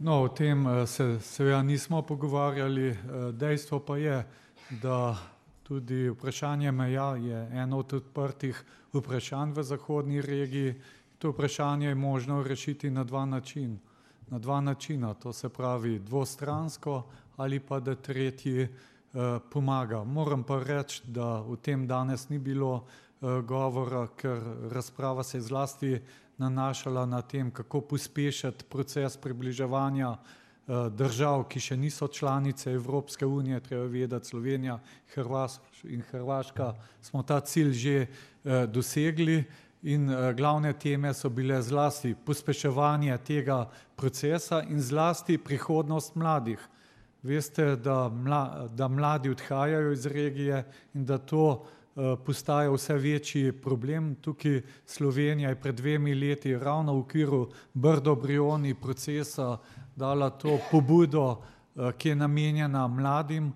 No, o tem se seveda nismo pogovarjali, dejstvo pa je, da tudi vprašanje meja je eno od odprtih vprašanj v zahodni regiji. To vprašanje je možno rešiti na dva načina, to se pravi dvostransko ali pa da tretji pomaga. Moram pa reči, da o tem danes ni bilo govora, ker razprava se je zlasti nanašala na tem, kako pospešiti proces približevanja držav, ki še niso članice Evropske unije. Treba vedeti, Slovenija in Hrvaška smo ta cilj že dosegli in glavne teme so bile zlasti pospeševanje tega procesa in zlasti prihodnost mladih. Veste, da mladi odhajajo iz regije in da to postaja vse večji problem. Tukaj Slovenija je pred 2 leti ravno v okviru Brdo-Brioni procesa dala to pobudo, ki je namenjena mladim.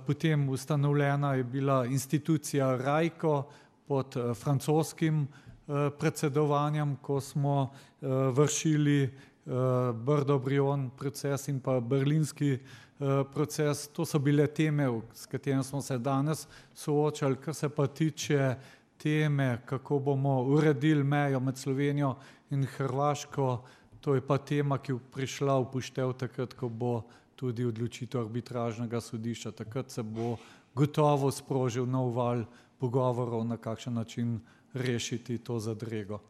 Potem ustanovljena je bila institucija RAICO pod francoskim predsedovanjem, ko smo vršili Brdo-Brion proces in pa berlinski proces. To so bile teme, s katerimi smo se danes soočali. Kar se pa tiče teme, kako bomo uredili mejo med Slovenijo in Hrvaško, to je pa tema, ki je prišla v poštev takrat, ko bo tudi odločitev arbitražnega sodišča. Takrat se bo gotovo sprožil nov val pogovorov, na kakšen način rešiti to zadrego.